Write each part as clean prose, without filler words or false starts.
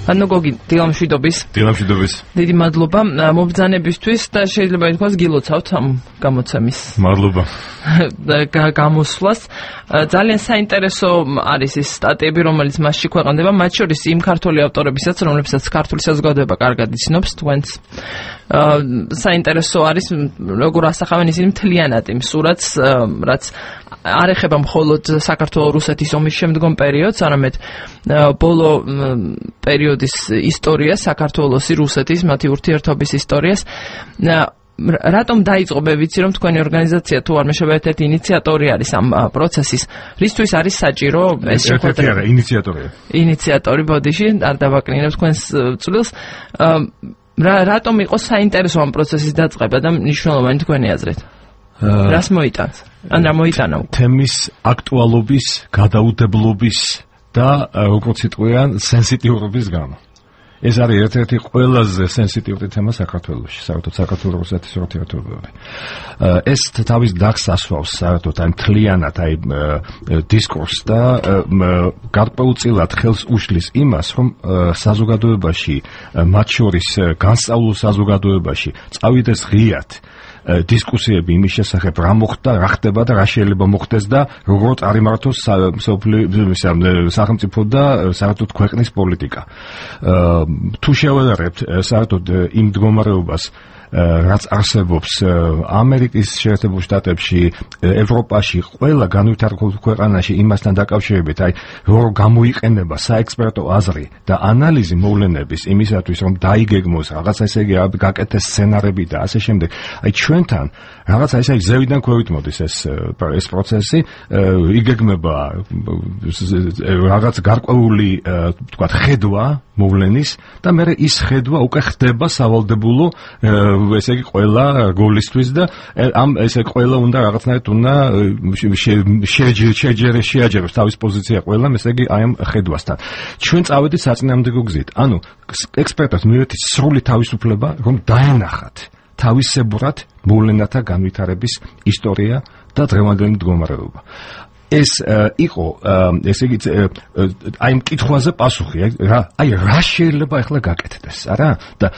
ანუ გოგი დილამშვიდობის. დიდი მადლობა მობრძანებისთვის და შეიძლება ითქვას გილოცავთ ამ გამოცემის. მადლობა. გამოსვლას. ძალიან საინტერესო არის ის სტატიები, რომელიც მასში ქვეყნდება, მათ შორის იმ ქართული ავტორებისაც, რომლებსაც ქართული საზოგადოება კარგად იცნობს, თქვენს. საინტერესო არის როგორ ასახავენ ისინი მთლიანად იმ სურათს, რაც არ ეხება მხოლოდ საქართველო-რუსეთის ომის შემდგომ პერიოდს, არამედ ბოლო პერიოდის ისტორიას, საქართველოსი, რუსეთის, მათი ურთიერთობის ისტორიას. რატომ დაიწყო, ვიცი რომ თქვენი ორგანიზაცია თუ არ მეშობა ერთ-ერთი ინიციატორი არის ამ პროცესის, რისთვის არის საჭირო ეს შეხვედრა? ინიციატორი ბოდიში, არ დავაკნინებ თქვენს წვლილს. რატომ იყო საინტერესო ამ პროცესის დაწყება და მნიშვნელოვანი თქვენი აზრით? რას მოიტანს? ან რა მოიტანა? თემის აქტუალობის, გადაუდებლობის და როგორც იტყვიან, სენსიტიურობის გამო. ეს არის ერთ-ერთი ყველაზე სენსიტიური თემა საქართველოში, საერთოდ საქართველოს-რუსეთის ურთიერთობები. ეს თავის დახს ასვავს საერთოდ აი მთლიანად აი დისკურსს და გარკვეულწილად ხელს უშლის იმას, რომ საზოგადოებაში, მათ შორის განსწავლულ საზოგადოებაში წავიდეს ღიად დისკუსიები იმის შესახებ, რა მოხდა, რა ხდება და რა შეიძლება მოხდეს და როგორ წარიმართოს სახელმწიფო და საერთოდ ქვეყნის პოლიტიკა. თუ შევადარებთ საერთოდ იმ მდგომარეობას, რაც არსებობს ამერიკის შეერთებულ შტატებში, ევროპაში, ყველა განვითარებულ ქვეყანაში იმასთან დაკავშირებით, აი როგორ გამოიყენება საექსპერტო აზრი და ანალიზი მოვლენების იმისათვის, რომ დაიგეგმოს რაღაცა ესე იგი გაკეთდეს სცენარები და ასე შემდეგ. აი ჩვენთან რაღაცა ესე იგი ზევიდან ქვევით მოდის ეს პროცესი, იგეგმება რაღაც გარკვეული თქვათ ხედვა მოვლენის და მე ის ხედვა უკვე ხდება სავალდებულო ესე იგი ყველა გოლისთვის და ამ ესე ყველა უნდა რაღაცნაირად უნდა შეაჯეროს თავის პოზიცია ყველა ესე იგი აი ამ ხედვასთან. ჩვენ წავედით საწინააღმდეგო გზით. ანუ ექსპერტებს მივეთით სრული თავისუფლება, რომ დაენახათ თავისებურად მოვლენათა განვითარების ისტორია და დღევანდელი მდგომარეობა. ეს იყო ესე იგი აი ამ კითხვაზე პასუხი, აი რა შეიძლება ახლა გაკეთდეს, არა? და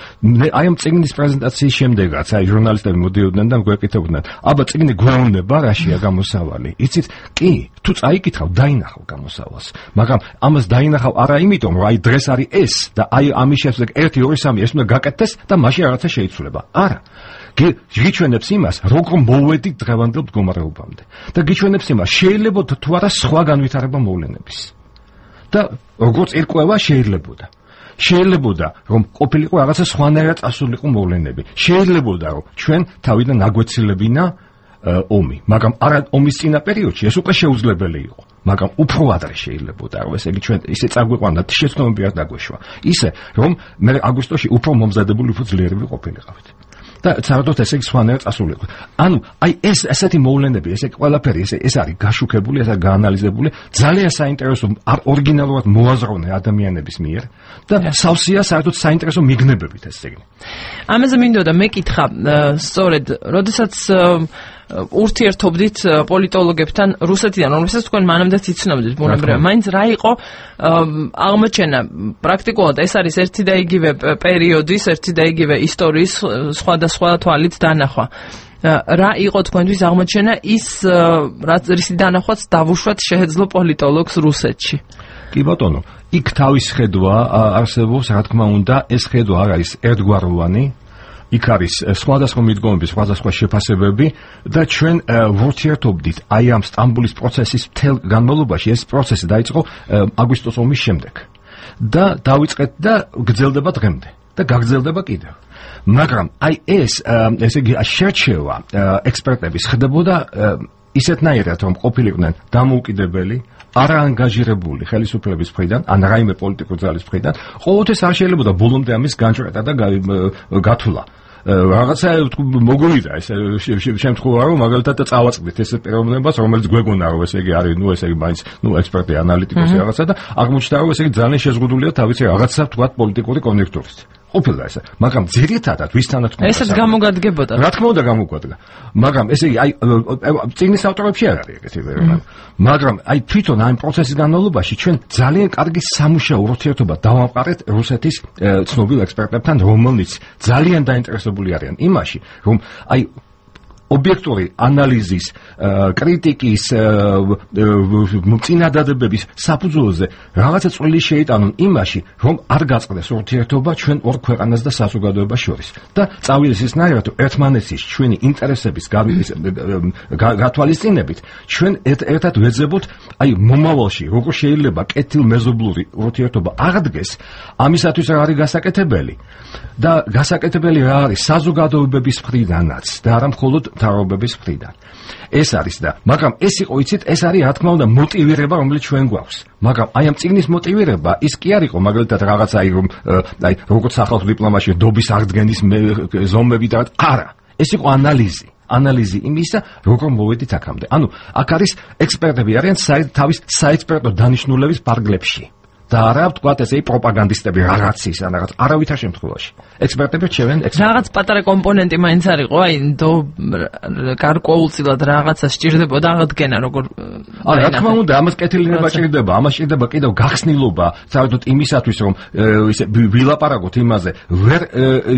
აი ამ წიგნის პრეზენტაციის შემდეგაც აი ჟურნალისტები მოდიოდნენ და გვეკითხებოდნენ, აბა წიგნი გვეუბნება რაშია გამოსავალი. იცით, კი, თუ წაიკითხავ, დაინახავ გამოსავალს, მაგრამ ამას დაინახავ არა იმიტომ, რომ აი დღეს არის ეს და აი ამის შემდეგ 1 2 3 ეს უნდა გაკეთდეს და მაშინ რაღაცა შეიცვლება. არა. გიჩვენებს იმას, როგორ მოვედით დღევანდელ მდგომარეობამდე. და გიჩვენებს იმას, შეიძლება თუ არა სხვა განვითარება მოვლენების. და როგორც ერკვევა შეიძლებოდა. შეიძლებოდა, რომ ყოფილიყო რაღაცა სხვანაირად წასულიყო მოვლენები. შეიძლებოდა, რომ ჩვენ თავიდან აგვეცილებინა ომი, მაგრამ არა ომის წინა პერიოდში, ეს უკვე შეუძლებელი იყო. მაგრამ უფრო ადრე შეიძლებოდა, რომ ესე იგი ჩვენ ისე წაგვიყვანდა შეცდომები არ დაგვეშვა. ისე, რომ მე აგვისტოში უფრო მომზადებული, უფრო ძლიერები ყოფილიყავით. და საერთოდ ესე იგი სხვანაირად წასულიყო. ანუ აი ეს ესეთი მოვლენები, ესე ყველაფერი ეს არის გაშუქებული, ეს არის გაანალიზებული, ძალიან საინტერესო ორიგინალურად მოაზროვნე ადამიანების მიერ და სავსეა საერთოდ საინტერესო მიგნებებით ეს წიგნი. ამაზე მინდოდა მეკითხა, სწორედ, როდესაც ურთიერთობდით პოლიტოლოგებთან რუსეთიდან, რომლებსაც თქვენ მანამდეც იცნობდით, ბუნებრივია, მაინც რა იყო აღმოჩენა პრაქტიკულად ეს არის ერთი და იგივე პერიოდის, ერთი და იგივე ისტორიის სხვადასხვა თვალით დანახვა. რა იყო თქვენთვის აღმოჩენა ის, რის დანახვაც დავუშვათ შეეძლო პოლიტოლოგს რუსეთში? კი ბატონო, იქ თავის ხედვა არსებობს, რა თქმა უნდა, ეს ხედვა არ არის ერთგვაროვანი. იქ არის სხვადასხვა მიდგომები, სხვადასხვა შეფასებები და ჩვენ ვურთიერთობდით აი ამ სტამბოლის პროცესის მთელ განმავლობაში. ეს პროცესი დაიწყო აგვისტოს ომის შემდეგ და დავიწყეთ და გრძელდება დღემდე და გაგრძელდება კიდევ. მაგრამ აი ესე იგი შერჩევა ექსპერტების ხდებოდა ისეთნაირად, რომ ყოფილიყვნენ დამოუკიდებელი, არაანგაჟირებული ხელისუფლების მხრიდან, ან რაიმე პოლიტიკური ძალის მხრიდან, ყოველთვის არ შეიძლება ბოლომდე ამის განჭრეტა და გათვლა. რაღაცა მოგვივიდა ეს შემთხვევა, რომ მაგალითად წავაწყდით ეს პიროვნებას, რომელიც გვეგონა, რომ ესე იგი არის, ესე იგი მაინც, ექსპერტი, ანალიტიკოსი რაღაცა და აღმოჩნდა, რომ ესე იგი ძალიან შეზღუდულია თავისი რაღაცა თქვათ პოლიტიკური კონიუნქტურით. ყოფილა ესე, მაგრამ ძირითადად ვისთანაც ესეც გამოგადგებოდა. რა თქმა უნდა გამოგვადგა. მაგრამ ესე იგი აი წიგნის ავტორებში არ არის ეგეთი ვერა. მაგრამ აი თვითონ ამ პროცესის განმავლობაში ჩვენ ძალიან კარგი სამუშაო ურთიერთობა დავამყარეთ რუსეთის ცნობილ ექსპერტებთან, რომელნიც ძალიან დაინტერესებული არიან იმაში, რომ აი ობიექტური ანალიზის, კრიტიკის, წინადადებების საფუძველზე რაღაცა წვლილი შეიტანონ იმაში, რომ არ გაწყდეს ურთიერთობა ჩვენ ორ ქვეყანას და საზოგადოებას შორის. და წავიდეს ისნაირად, რომ ერთმანეთის ჩვენი ინტერესების გათვალისწინებით ჩვენ ერთად ვეძებოთ, აი მომავალში როგორ შეიძლება კეთილმეზობლური ურთიერთობა აღდგეს, ამისათვის რა არის გასაკეთებელი. და გასაკეთებელი რა არის საზოგადოებების მხრიდანაც და არა მხოლოდ მთავრობების მხრიდან. ეს არის და მაგრამ ეს იყო იცით ეს არის რა თქმა უნდა მოტივირება რომელიც ჩვენ გვაქვს. მაგრამ აი ამ წიგნის მოტივირება ის კი არ იყო მაგალითად რაღაცა აი როგორც სახალხო დიპლომატიაში დობის აღდგენის ზომები და არა. ეს იყო ანალიზი იმისა როგორ მოვედით აქამდე. ანუ აქ არის ექსპერტები არიან თავის საექსპერტო დანიშნულების პარგლებში. და არა ვთქვათ ესე პროპაგანდისტები რაღაცის ან რაღაც არავითარ შემთხვევაში. ექსპერტები რჩევენ რაღაც პატარა კომპონენტი მაინც არისო, აი გარკვეულწილად რაღაცა სჭირდებოდა აღდგენა როგორ არა, რა თქმა უნდა, ამას კეთილინება სჭირდება, ამას სჭირდება კიდევ გახსნილობა, საერთოდ იმისათვის რომ ისე ვილაპარაკოთ იმაზე, ვერ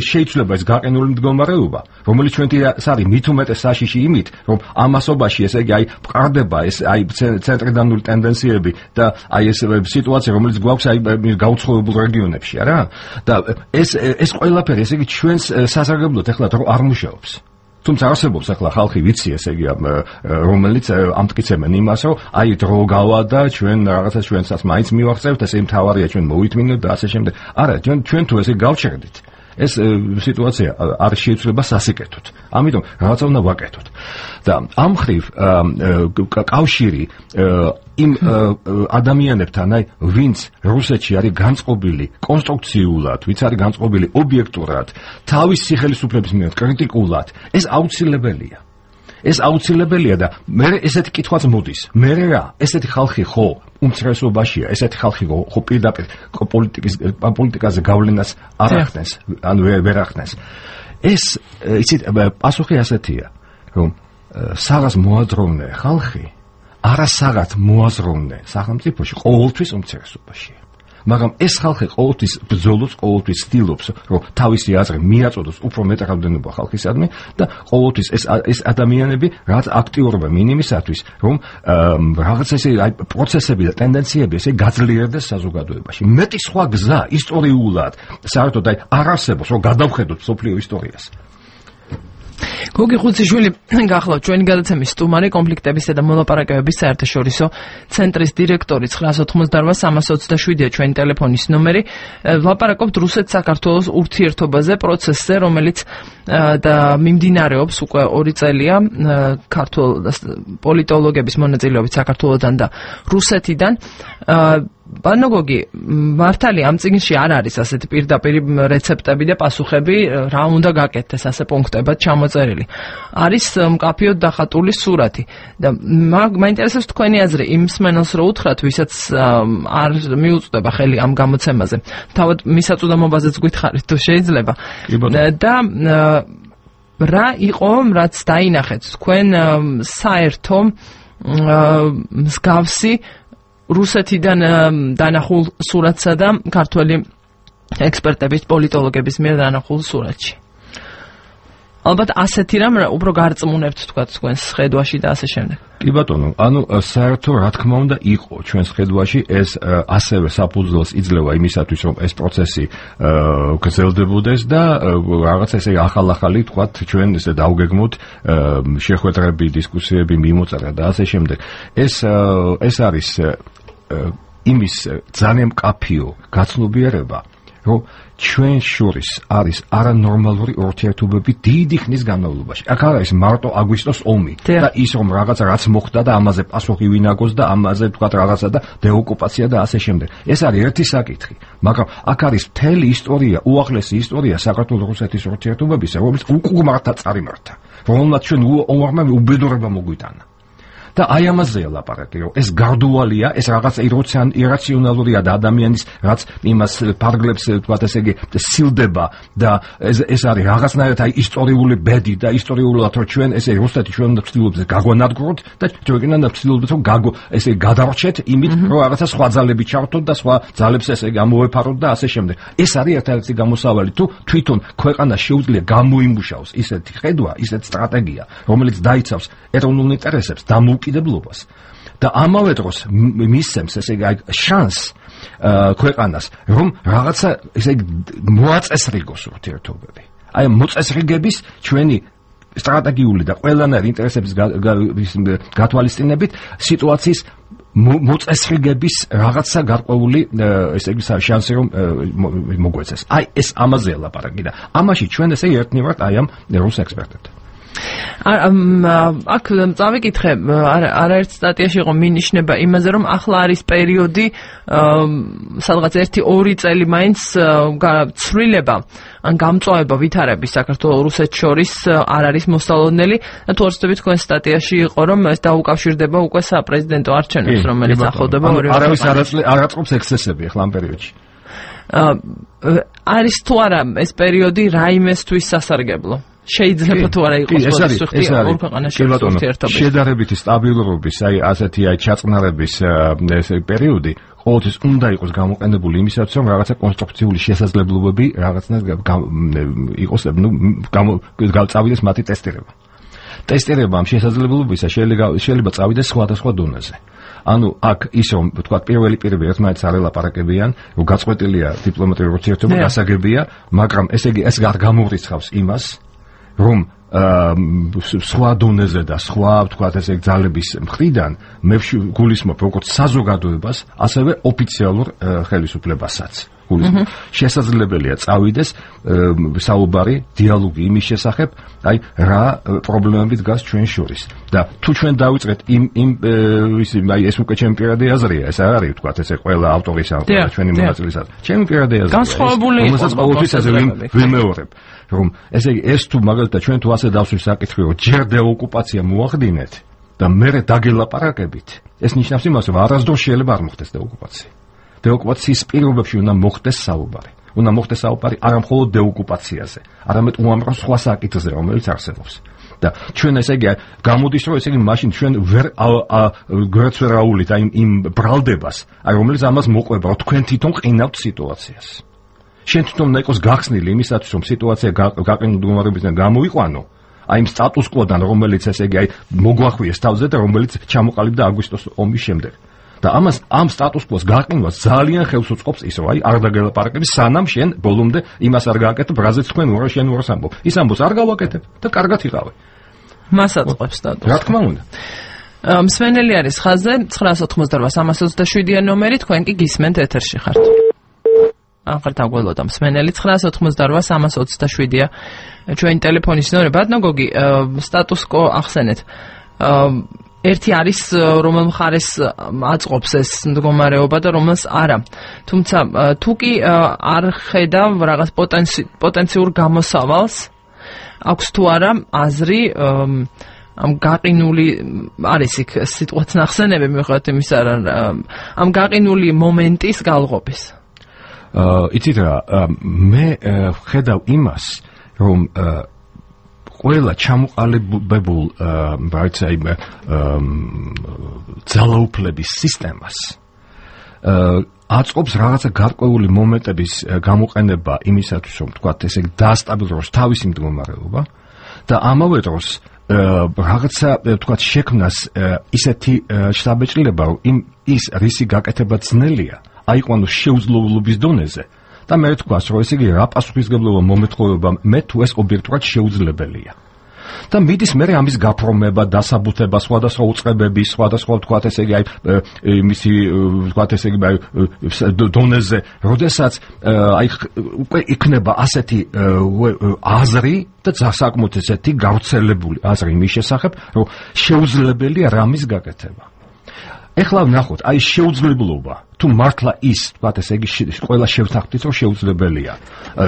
შეიძლება ეს გაყინული მდგომარეობა, რომელიც ჩვენთვის არის მით უმეტეს საშიში იმით, რომ ამასობაში ესე იგი აი მყარდება ეს აი ცენტრიდანული ტენდენციები და აი ეს სიტუაცია რომელიც გვაქვს აი გაუცხოებულ რეგიონებში, არა? და ეს ყველაფერი, ესე იგი ჩვენს სასარგებლოდ ეხლა არ მუშაობს. თუმცა არსებობს ახლა ხალხი ვიცი, ესე იგი რომელიც ამტკიცებენ იმას, რომ აი დრო გავა და ჩვენ რაღაცა ჩვენსაც მაინც მივახცევთ, ესე მთავარია ჩვენ მოვითმინოთ და ასე შემდეგ. არა, ჩვენ თუ ესე გავჩერდით ეს სიტუაცია არ შეიძლება სასიკეთოთ. ამიტომ რაღაცა უნდა ვაკეთოთ. და ამ მხრივ კავშირი იმ ადამიანებთან, აი ვინც რუსეთში არის განწყობილი კონსტრუქციულად, ვინც არის განწყობილი ობიექტურად, თავის სიხელისუფლების მიერ კრიტიკულად, ეს აუცილებელია. ეს აუცილებელია და მე ესეთი კითხვაც მოდის. მე რა, ესეთი ხალხი ხო უმცირესობაშია, ესეთი ხალხი ხო პირდაპირ პოლიტიკაზე გავლენას არ ახდენს, ან ვერ ახდენს. ეს იცით, პასუხი ასეთია, რომ საღას მოაზროვნე ხალხი, არასაღად მოაზროვნე სახელმწიფოში ყოველთვის უმცირესობაშია. მაგრამ ეს ხალხი ყოველთვის ბრძოლობს, ყოველთვის ცდილობს, რომ თავისი აზრი მიაწოდოს უფრო მეტ რაოდენობა ხალხისადმი და ყოველთვის ეს ადამიანები რაც აქტიურობენ იმისათვის, რომ რაღაც ესე აი პროცესები და ტენდენციები ესე გაძლიერდეს საზოგადოებაში. მეტი სხვა გზა ისტორიულად საერთოდ აი არ არსებობს, რომ გადავხედოთ სოფლიო ისტორიას. გოგი ხუციშვილი გახლავთ ჩვენი გადაცემის სტუმარი, კონფლიქტებისა და მოლაპარაკებების საერთაშორისო ცენტრის დირექტორი. 988-327-ია ჩვენი ტელეფონის ნომერი. ვლაპარაკობთ რუსეთ-საქართველოს ურთიერთობაზე, პროცესზე, რომელიც და მიმდინარეობს უკვე 2 წელია ქართულ პოლიტოლოგების მონაწილეობით საქართველოსთან და რუსეთიდან. ბანო გოგი, მართალია ამ წიგნში არ არის ასეთი პირდაპირ რეცეპტები და პასუხები, რა უნდა გაკეთდეს ასე პუნქტებად ჩამოწერილი. არის მკაფიოდ დახატული სურათი და მაინტერესებს თქვენი აზრი იმ მსმენელს რო უთხრათ, ვისაც არ მიუწვდება ხელი ამ გამოცემაზე. თავად მისაწვდომობაზეც გითხარით თუ შეიძლება. და რა იყო, რაც დაინახეთ თქვენ საერთო მსგავსი რუსეთიდან დანახულ სურათსა და ქართველი ექსპერტების, პოლიტოლოგების მიერ დანახულ სურათში. ალბათ ასეთი რამ უფრო გარწმუნებთ თქვა თქვენს ხედვაში და ასე შემდეგ. კი ბატონო, ანუ საერთო რა თქმა უნდა იყო ჩვენს ხედვაში ეს ასევე საფუძველს იძლევა იმისათვის, რომ ეს პროცესი გრძელდებოდეს და რაღაც ესე ახალ-ახალი თქვა ჩვენ ესე დავგეგმოთ შეხვედრები, დისკუსიები მიმოწერა და ასე შემდეგ. ეს არის იმის ძალიან მკაფიო გაცნობიერება, რომ ჩვენ შორის არის არანორმალური ურთიერთობები დიდი ხნის განმავლობაში. აქ არ არის მარტო აგვისტოს ომი და ის რომ რაღაცა რაც მოხდა და ამაზე პასუხი ვინ აგოს და ამაზე თქვა რაღაცა და დეოკუპაცია და ასე შემდეგ. ეს არის ერთი საკითხი, მაგრამ აქ არის მთელი ისტორია, უახლესი ისტორია საქართველოს-რუსეთის ურთიერთობებისა, რომელიც უკუღმართა წარიმართა, რომელმაც ჩვენ უამრავი უბედურება მოგვიტანა. და აი ამაზეა ლაპარაკი, რომ ეს გარდუალია, ეს რაღაც ირაციონალურია და ადამიანის რაც იმას ფარგლებს, თქვათ ესე იგი, სილდება და ეს არის რაღაცნაირად აი ისტორიული ბედი და ისტორიულად რომ ჩვენ ესე რუსეთი ჩვენ უნდა ვცდილობთ გაგვანადგუროთ და ჩვენ უნდა ვცდილობთ რომ ესე გადარჩეთ იმით რომ რაღაცა სხვა ძალები ჩავთოთ და სხვა ძალებს ესე გამოვეფაროთ და ასე შემდეგ. ეს არის ერთადერთი გამოსავალი თუ თვითონ ქვეყანა შეუძლია გამოიმუშაოს ისეთი ხედვა, ისეთი სტრატეგია, რომელიც დაიცავს ეროვნულ ინტერესებს, დამოუკიდებლობას და ამავე დროს მისცემს ესე იგი შანსს ქვეყანას რომ რაღაცა ესე იგი მოაწესრიგოს ურთიერთობები. აი მოწესრიგების ჩვენი სტრატეგიული და ყველანაირი ინტერესების გათვალისწინებით სიტუაციის მოწესრიგების რაღაცა გარკვეული ესე იგი შანსი რომ მოგვეცეს. აი ეს ამაზეა ლაპარაკი და ამაში ჩვენ ესე ერთნაირად აი ამ რუს ექსპერტებთან აქ წავიკითხე არაერთ სტატიაში იყო მინიშნება იმაზე რომ ახლა არის პერიოდი სადღაც 1-2 წელი მაინც ცვლილება ან გამწვავება ვითარების საქართველოს რუსეთს შორის არ არის მოსალოდნელი და თუ არცდები თქვენ სტატიაში იყო რომ ეს დაუკავშირდება უკვე საპრეზიდენტო არჩევნებს რომელიც ახლოვდება არავის არ აწყობს ექსცესები ახლა ამ პერიოდში არის თუ არა ეს პერიოდი რაიმესთვის სასარგებლო შეიძლება თუ არა იყოს პოზიციური ორ ქვეყანაში ურთიერთობები შედარებითი სტაბილურობის აი ასეთი აი ჩაწყნარების ეს პერიოდი ყოველთვის უნდა იყოს გამოყენებული იმისათვის რომ რაღაცა კონსტრუქციული შესაძლებლობები რაღაცნაირად იყოს წავიდეს მათი ტესტირება ამ შესაძლებლობისა შეიძლება წავიდეს სხვადასხვა დონეზე ანუ აქ ის რომ თქვა პირველი ერთმანეთს არ ელაპარაკებიან რომ გაწყვეტილია დიპლომატიური ურთიერთობა გასაგებია მაგრამ ესე იგი ეს არ გამოვრიცხავს იმას რომ სხვა დონეზე და სხვა ვთქვათ ესე ძალების მხრიდან მე გულისხმობ როგორც საზოგადოებას ასევე ოფიციალურ ხელისუფლებასაც გულისხმობ შესაძლებელია წავიდეს საუბარი დიალოგი იმის შესახებ აი რა პრობლემები დგას ჩვენ შორის და თუ ჩვენ დავიწყეთ აი ეს უკვე ჩემი პირადი აზრია ეს არ არის ვთქვათ ესე ყველა ავტორის ან ყველა ჩვენი მონაწილესაც ჩემი პირადი აზრია განსხვავებული რომელსაც ყოველთვის ასე ვიმეორებ რომ ესე იგი ეს თუ მაგალითად ჩვენ თუ ასე დავსვით საკითხი რომ ჯერ დეოკუპაცია მოახდინეთ და მერე დაგელაპარაკებით ეს ნიშნავს იმას რომ არასდროს შეიძლება არ მოხდეს დეოკუპაცია დეოკუპაციის პირობებში უნდა მოხდეს საუბარი არა მხოლოდ დეოკუპაციაზე არამედ უამრავ სხვა საკითხზე რომელიც არსებობს და ჩვენ ესე იგი გამოდის რომ ესე იგი მაშინ ჩვენ ვერ გვერდსვერაულით აი იმ ბრალდებას აი რომელიც ამას მოყვება რომ თქვენ თვითონ ყინავთ სიტუაციას შენ თვითონ უნდა იყოს გახსნილი იმისათვის რომ სიტუაცია გაყინულ მდგომარეობისგან გამოიყვანო აი იმ სტატუს კვოდან რომელიც ესე იგი აი მოგვახვიეს თავზე და რომელიც ჩამოყალიბდა აგვისტოს ომის შემდეგ და ამას ამ სტატუს კვოს გაყინვას ძალიან ხელს უწყობს ის რომ აი არ დაგელაპარაკები სანამ შენ ბოლომდე იმას არ გააკეთებ რაზეც თქვენ უარ შენ უარს ამბობ ის ამბობს არ გავაკეთებ და კარგად იყავე მას აწყობს სტატუსს რა თქმა უნდა მსმენელი არის ხაზზე 988-327 ნომერი თქვენ კი გისმენთ ეთერში ხართ ახლა დაგველოდა მსმენელი 988-327-ია ჩვენი ტელეფონის ნომერი ბატონო გოგი სტატუს კო ახსენეთ ერთი არის რომელ მხარეს აწყობს ეს მდგომარეობა და რომელს არა თუმცა თუ კი არ ხედავ რაღაც პოტენციურ გამოსავალს აქვს თუ არა აზრი ამ გაყინული არის იქ სიტყვაც ნახსენები მიუხედავად იმისა ამ გაყინული მომენტის galgobis იცით რა მე ხედავ იმას რომ ყველა ჩამოყალიბებულ ძალაუფლების სისტემას აწყობს რაღაცა გარკვეული მომენტების გამოყენება იმისათვის რომ თქვათ ესე დაასტაბილუროს თავისი მდგომარეობა და ამავე დროს რაღაცა თქვათ შექმნას ისეთი შთაბეჭდილება რომ ის რისი გაკეთება ძნელია აიყვანოს შეუძლებლობის დონეზე და მე ვთქვას რომ ესე იგი რა პასუხისგებლობა მომეთხოვება მე თუ ეს ობიექტურად შეუძლებელია და მიდის მე ამის გაფორმება დასაბუთება სხვადასხვა უწყებების სხვადასხვა ვთქვათ ესე იგი აი მისი ვთქვათ ესე იგი დონეზე როდესაც აი უკვე იქნება ასეთი აზრი და საკმაოდ ესეთი გავრცელებული აზრი მის შესახებ რომ შეუძლებელია რამის გაკეთება ეხლა ვნახოთ, აი შეუძლებლობა თუ მართლა ის, ვთქვათ, ესე იგი ყველა შევთანხმდით, რომ შეუძლებელია.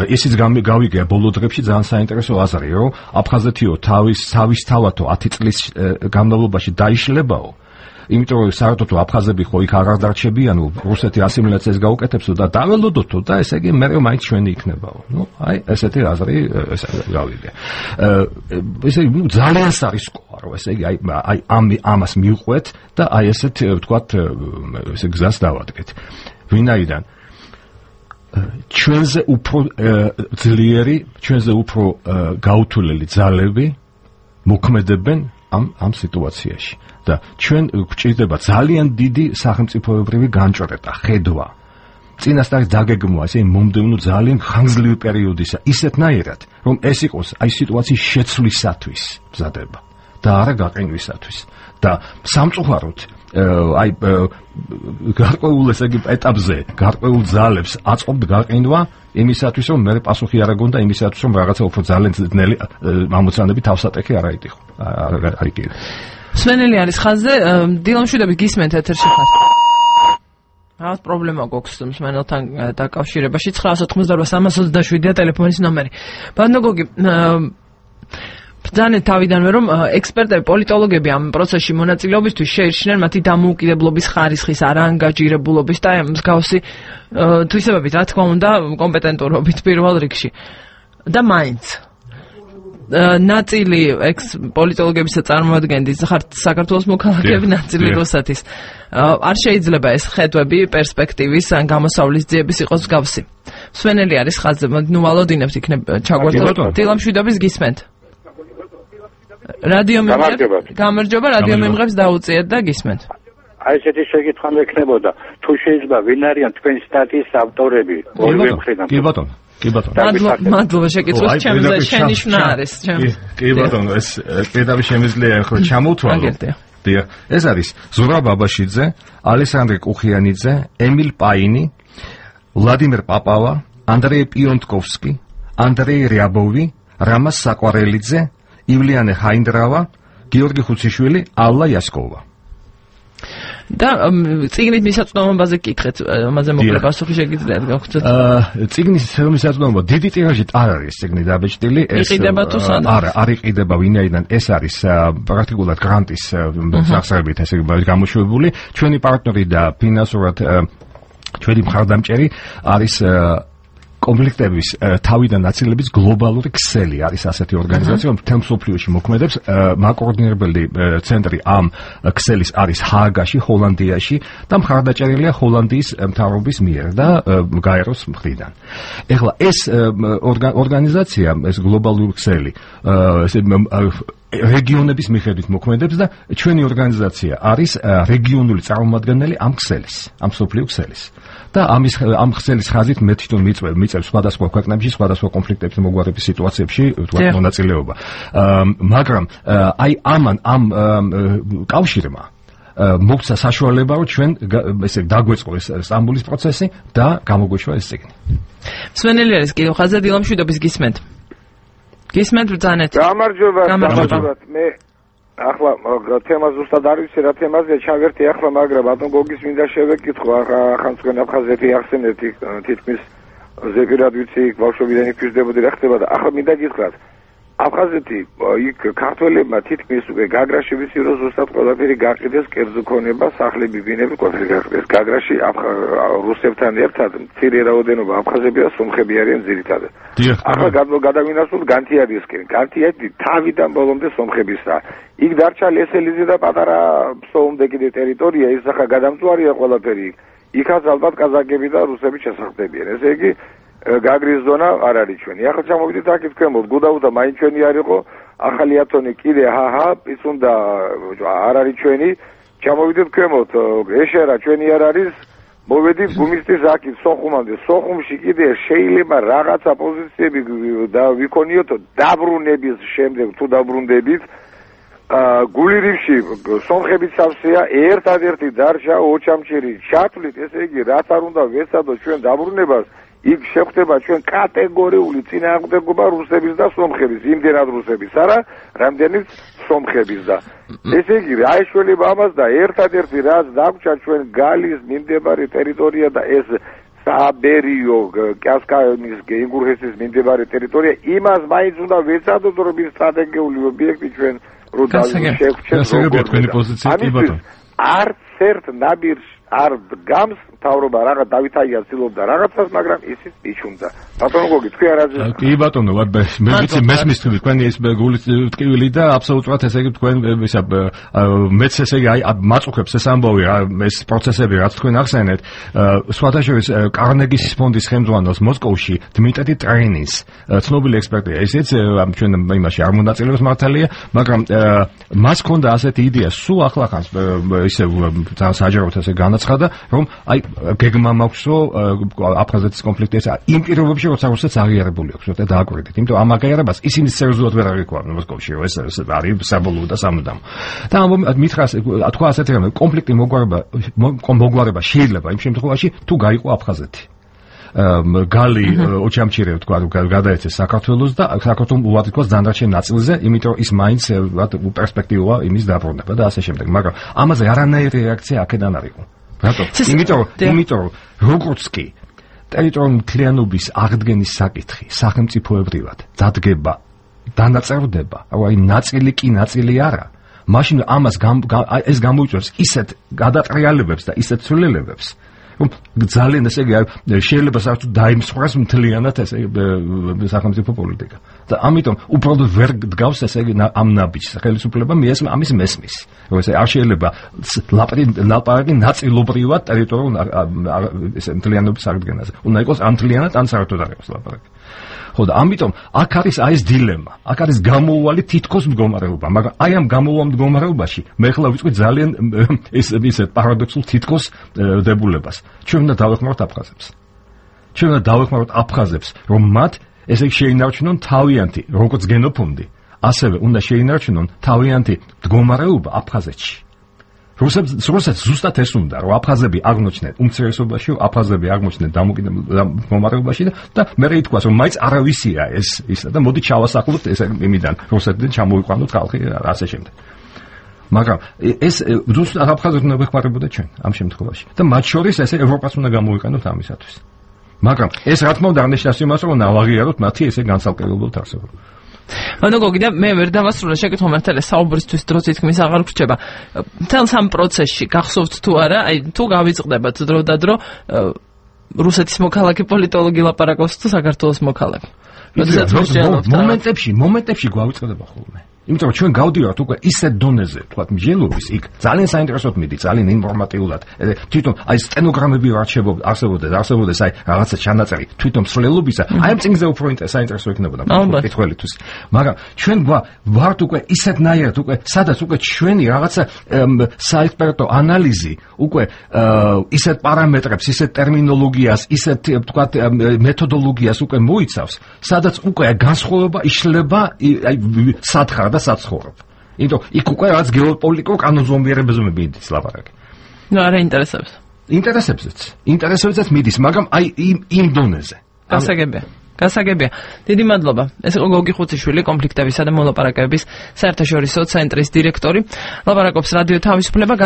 ისიც გავიგია ბოლო დღეებში ძალიან საინტერესო აზრი, რომ აფხაზეთიო თავისთავადო 10 წლის განმავლობაში დაიშლებაო. იმიტომ რომ საერთოდ აფხაზები ხო იქ აღარ დარჩებიანო, რუსეთი ასიმილაციას გაუკეთებსო და დაველოდოთო და ესე იგი მე მაინც ჩვენი იქნებაო. აი ესეთი აზრი გავიგე. ესე იგი ძალიან სარისკოა, რომ ესე იგი აი ამას მივყვეთ და აი ესეთ ვთქვათ ესე გზას დავადგეთ. ვინაიდან ჩვენზე უფრო ძლიერი, ჩვენზე უფრო გაუთვლელი ძალები მოქმედებენ ამ სიტუაციაში და ჩვენ გვჭირდება ძალიან დიდი სახელმწიფოებრივი განჭრეტა, ხედვა. წინასწარ დაგეგმვა ესე მომდევნო ძალიან ხანგრძლივი პერიოდისა, ისეთნაირად, რომ ეს იყოს აი სიტუაციის შეცვლისათვის მზადება და არა გაყინვისათვის. და სამწუხაროდ აი გარკვეულ ესე იგი ეტაპზე, გარკვეულ ძალებს აწყობთ გაყინვა იმისათვის, რომ მე პასუხი არ აგონდა იმისათვის, რომ რაღაცა უფრო ძალიან ძნელი ამოცანები თავსატეხი არ აიტიხო. არ იქ. სვენელი არის ხაზზე, დილამშვიდობით გისმენთ ეთერში ხარ. რაღაც პრობლემა გვაქვს მსმენელთან დაკავშირებაში 988-327-ია ტელეფონის ნომერი. ბანდოგოგი ბრძანეთ თავიდანვე რომ ექსპერტები, პოლიტოლოგები ამ პროცესში მონაწილეობისთვის შეირჩნენ მათი დამოუკიდებლობის ხარისხის არაანგაჟირებულობის და მსგავსი თვისებებით, რა თქმა უნდა, კომპეტენტურობით პირველ რიგში. და მაინც ნაწილი პოლიტოლოგებისა წარმოადგენდის ხართ საქართველოს მოქალაქეები, ნაწილი რუსეთის. არ შეიძლება ეს ხედვები პერსპექტივის ან გამოსავლის ძიების იყოს მსგავსი. სვენელი არის ხაზზე, ნუ ვალოდინებთ იქნებ ჩაგვერთოთ. დილამშვიდობის გისმენთ. რადიო გამარჯობა, რადიო მიმღებს დაუწიეთ და გისმენთ. აი ესეთი შეკითხვა მექნებოდა, თუ შეიძლება ვინ არიან თქვენი სტატიის ავტორები? ორივე მხრიდან. კი ბატონო. კი ბატონო. მადლობა შეკითხვას, ჩემზე შენი შნა არის. კი ბატონო, ეს პირდაპირ შემიძლია ახლა ჩამოვთვალო. დიახ, ეს არის ზურაბ ბაბაშიძე, ალესანდრე კუხიანიძე, ემილ პაინი, ვლადიმერ პაპავა, ანდრეი პიონტკოვსკი, ანდრეი რიაბოვი, რამას საკვარელიძე, ივლიანე ჰაინდრავა, გიორგი ხუციშვილი, ალლა იასკოვა. და წიგნით მისაწვდომობაზე გკითხეთ, ამაზე მოკლე პასუხი შეგიძლიათ გავხსნათ. წიგნის მისაწვდომობა დიდი ტირაჟით არ არის წიგნი დაბეჭდილი, ეს იყიდება თუ სანამ? არა, არ იყიდება, ვინაიდან ეს არის პრაქტიკულად გრანტის სახსრებით ესე გამოშვებული. ჩვენი პარტნიორი და ფინანსურად ჩვენი მხარდამჭერი არის კონფლიქტების თავიდან ნაცილების გლობალური ქსელი არის ასეთი ორგანიზაცია, რომ მთელ მსოფლიოში მოქმედებს. მაკოორდინირებელი ცენტრი ამ ქსელის არის ჰააგაში, ჰოლანდიაში და მხარდაჭერილია ჰოლანდიის მთავრობის მიერ და გაეროს მხრიდან. ეხლა ეს ორგანიზაცია, ეს გლობალური ქსელი, რეგიონების მიხედვით მოქმედებს და ჩვენი ორგანიზაცია არის რეგიონული წარმომადგენელი ამ ქსელის, ამ მსოფლიო ქსელის. და ამ ქსელის ხაზით მე თვითონ მიწევს სხვადასხვა ქვეყნებში, სხვადასხვა კონფლიქტების მოგვარების სიტუაციებში თქვა მონაწილეობა. მაგრამ აი ამ კავშირმა მოგცა საშუალება, რომ ჩვენ ესე დაგვეწყო ეს სტამბოლის პროცესი და გამოგვეშვა ეს წიგნი. სვენელი არის კიდევ ხაზზე, დილამშვიდობის გისმენთ. გისმენთ ბრძანეთ. გამარჯობა. მე ახლა თემა ზუსტად არ ვიცი რა თემაზეა ჩავერთი ახლა, მაგრამ ბატონ გოგის მინდა შევეკითხო, ახლა თქვენ აფხაზეთი ახსენეთ თითქმის ზეპირად ვიცი, ბავშვობიდან იქ ვიზრდებოდი, რა ხდება და ახლა მინდა გითხრათ, აფხაზეთი იქ ქართველებმა თითქმის უკვე გაგრაში ვიცი, რომ ზუსტად ყველაფერი გაყიდეს, კერძო ქონება, სახლები, ბინები, ყველაფერი გაყიდეს. გაგრაში რუსებთან ერთად მცირე რაოდენობა აფხაზები და სომხები არიან ძირითადად. ახლა გადავინახოთ განთიადისკენ. განთიადი თავიდან ბოლომდე სომხებისა. იქ დარჩა ლესელიძე და პატარა ფსოუნდე კიდე ტერიტორია, ის ახლა გადამწვარია ყველაფერი. იქაც ალბათ კაზაკები და რუსები ჩასახდებიან. ესე იგი გაგრის ზონა არ არის ჩვენი. ახლა ჩამოვიდეთ აქ თქვენმოთ, გუდაუდა მაინც ჩვენი არ იყო, ახალი ათონი კიდე პიცუნდა არ არის ჩვენი. ჩამოვიდეთ თქვენმოთ, ეშერა ჩვენი არ არის. მოვედით გუმისტის აქეთ სოხუმამდე. სოხუმში კიდე შეიძლება რაღაცა პოზიციები ვიქონიოთო დაბრუნების შემდეგ, თუ დაბრუნდებით გულირივში სომხების სავსეა, ერთადერთი დარჩა ოჩამჩერი ჩათვლით, ესე იგი რაც არ უნდა ვეცადოთ ჩვენ დაბრუნებას, იქ შეხვდება ჩვენ კატეგორიული წინააღმდეგობა რუსების და სომხების, იმდენად რუსების არა, რამდენიც სომხების და ესე იგი რა ეშველება ამას და ერთადერთი რაც დაგვრჩა ჩვენ გალის მიმდებარე ტერიტორია და ეს საბერიო კასკაინის გენგურჰესის მიმდებარე ტერიტორია იმას მაინც უნდა ვეცადოთ რომ ის სტრატეგიული ობიექტი ჩვენ რო შევხვდეთ როგორ არც ერთ ნაბირს არ გამს თავრობა რაღაც დავით აიას ცდილობდა რაღაცას, მაგრამ ისიც იჩუნდა. ბატონო გოგი, თქვენ არაზე. კი ბატონო, მე ვიცი მესმის თქვენი ეს გულის ტკივილი და აბსოლუტურად ესე იგი თქვენ ისა მეც ესე იგი აი მაწუხებს ეს ამბავი, ეს პროცესები რაც თქვენ ახსენეთ, სხვადასხვა კარნეგის ფონდის ხელმძღვანელს მოსკოვში დმიტრი ტრეინის ცნობილი ექსპერტია. ესეც ჩვენ იმაში არ მონაწილეობს მართალია, მაგრამ მას ჰქონდა ასეთი იდეა, სულ ახლახანს ისე საჯაროდ ესე განაცხადა, რომ აი გეგმა მაქვსო აფხაზეთის კონფლიქტი ეს იმ პირობებში როცა რუსეთს აღიარებული აქვს და დააკვირდით, იმიტომ ამ აღიარებას ისინი სერიოზულად ვერ აღიქვამენ მოსკოვში, ეს არის საბოლოო და სამუდამო. და მითხრას თქვა ასეთი რამე კონფლიქტი მოგვარება შეიძლება იმ შემთხვევაში თუ გაიყო აფხაზეთი. გალი ოჩამჩირე თქვა გადაეცეს საქართველოს და საქართველოს უად თქოს დანარჩენ ნაწილზე, იმიტომ რომ ის მაინც პერსპექტივაა იმის დაბრუნება და ასე შემდეგ. მაგრამ ამაზე არანაირი რეაქცია აქედან არ იყო. რატო? იმიტომ რომ როგორც კი ტერიტორიული მთლიანობის აღდგენის საკითხი სახელმწიფოებრივად დადგება, დანაწევრდება, აი ნაწილი კი ნაწილი არა. მაშინ ამას ეს გამოიწვევს ისეთ გადატრიალებებს და ისეთ ცვლილებებს, რომ ძალიან ესე იგი შეიძლება საერთოდ დაიმსხვრას მთლიანად ესე სახელმწიფო პოლიტიკა. და ამიტომ უბრალოდ ვერ დგავს ესე იგი ამ ნაბიჯს ხელისუფლება ამის მესმის. რომ ესე არ შეიძლება ლაპარაკი ნაწილობრივად ტერიტორიულ ესე მთლიანობის აღდგენაზე. უნდა იყოს ან მთლიანად ან საერთოდ არ იყოს ლაპარაკი. ხო და ამიტომ აქ არის აი ეს დილემა, აქ არის გამოუვალი თითქოს მდგომარეობა, მაგრამ აი ამ გამოუვალ მდგომარეობაში მე ხლა ვიწყდი ძალიან ისეთ პარადოქსულ თითქოს დებულებას. ჩვენ უნდა დავეხმაროთ აფხაზებს. ჩვენ უნდა დავეხმაროთ აფხაზებს, რომ მათ ესე შეინარჩუნონ თავიანთი როგორც გენოფონდი, ასევე უნდა შეინარჩუნონ თავიანთი მდგომარეობა აფხაზეთში. რუსეთს ზუსტად ეს უნდა, რომ აფხაზები აღმოჩნდნენ უმცირესობაში, აფხაზები აღმოჩნდნენ მდგომარეობაში და მე ითქვას, რომ მაინც არავისია ეს ისა და მოდი ჩავასახლოთ ეს იმიდან, რუსეთიდან ჩამოვიყვანოთ ხალხი ასე შემდეგ. მაგრამ ეს ზუსტად აფხაზებს უნდა ვეხმარებოდა ჩვენ ამ შემთხვევაში და მათ შორის ესე ევროპას უნდა გამოვიყენოთ ამისათვის. მაგრამ ეს რა თქმა უნდა არ ნიშნავს იმას, რომ ნავაღიაროთ მათი ესე განსაკუთრებულად არსებობა. ანუ გოგიდა მე ვერ დავასრულე შეკითხვა მართალია საუბრისთვის დრო თითქმის აღარ გრჩება. მთელ სამ პროცესში გახსოვთ თუ არა, აი თუ გავიწყდებათ დრო და დრო რუსეთის მოქალაქე პოლიტოლოგი ლაპარაკობს თუ საქართველოს მოქალაქე. მომენტებში გვავიწყდება ხოლმე. იმიტომ რომ ჩვენ გავდივართ უკვე ისეთ დონეზე, თქვათ, მსჯელობის, იქ ძალიან საინტერესოდ მიდი, ძალიან ინფორმატიულად. თვითონ აი სტენოგრამები არსებობდეს აი რაღაცა ჩანაწერი, თვითონ მსვლელობისა, აი ამ წინზე უფრო საინტერესო იქნებოდა კითხველისთვის. მაგრამ ჩვენ ვართ უკვე ისეთნაირად, უკვე სადაც უკვე ჩვენი რაღაცა საექსპერტო ანალიზი უკვე ისეთ პარამეტრებს, ისეთ ტერმინოლოგიას, ისეთ თქვათ მეთოდოლოგიას უკვე მოიცავს, სადაც უკვე განსხვავება იშლება აი სათხარ და საცხოვრებ. იმიტომ იქ უკვე რაც გეოპოლიტიკურ კანონზომიერებაზე მიდის ლაპარაკი. ნუ არა ინტერესებს. ინტერესებსაც მიდის, მაგრამ აი იმ დონეზე. გასაგებია. დიდი მადლობა. ეს იყო გოგი ხუციშვილი, კონფლიქტებისა და მოლაპარაკებების საერთაშორისო ცენტრის დირექტორი. ლაპარაკობს რადიო თავისუფლება.